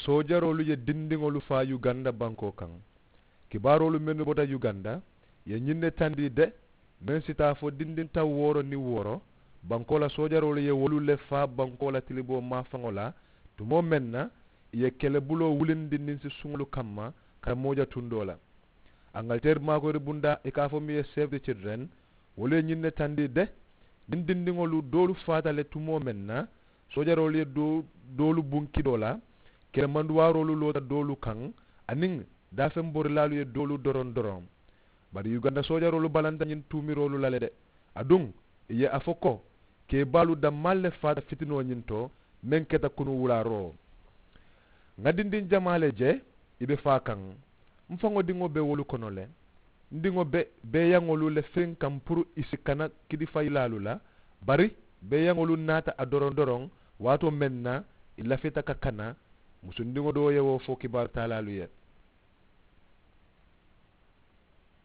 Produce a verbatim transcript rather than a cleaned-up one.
Soojaroolu ye dindiŋolu faa yuganda bankoo kaŋ. Kibaaroolu mennu bota yuganda ye ñiŋ ne tandi de, meŋ si taa fo dindiŋ taŋ wooro niŋ wooro, bankoo la soojaroolu ye wolu le faa bankoo la tiliboo maafaŋo la, tumoo meŋ na ì ye kelebuloo wulindi niŋ si suŋolu kamma ka taa mooja tundoo la. Aŋaliteeri maakoyiri bundaa ì ka a fo miŋ ye save the children, wolu ye ñiŋ ne tandi de. Niŋ dindiŋolu doolu faata le tumoo meŋ na, soojaroolu ye doolu buŋ kidoo la, kelemanduwaaroolu loota doolu kaŋ, aniŋ daafeŋ borilaalu ye doolu doroŋ doroŋ. Bari yuganda soojaroolu balanta ñiŋ tuumiroolu la le de. Aduŋ ì ye a fo ko, keebaalu dammaalu le faata fitinoo ñiŋ to, meŋ keta kunu wulaaroo. Ŋa dindiŋ jamaa le je ì be faa kaŋ. M faŋo diŋo be wolu kono le. M diŋo be beeyaŋolu le firiŋ kaŋ puru ì si kana kidifayilaalu la. Bari beeyaŋolu naata a doroŋ doroŋ, waatoo meŋ na ì lafita ka kana musundiŋo doo ye wo fo kibaaru taalaalu ye.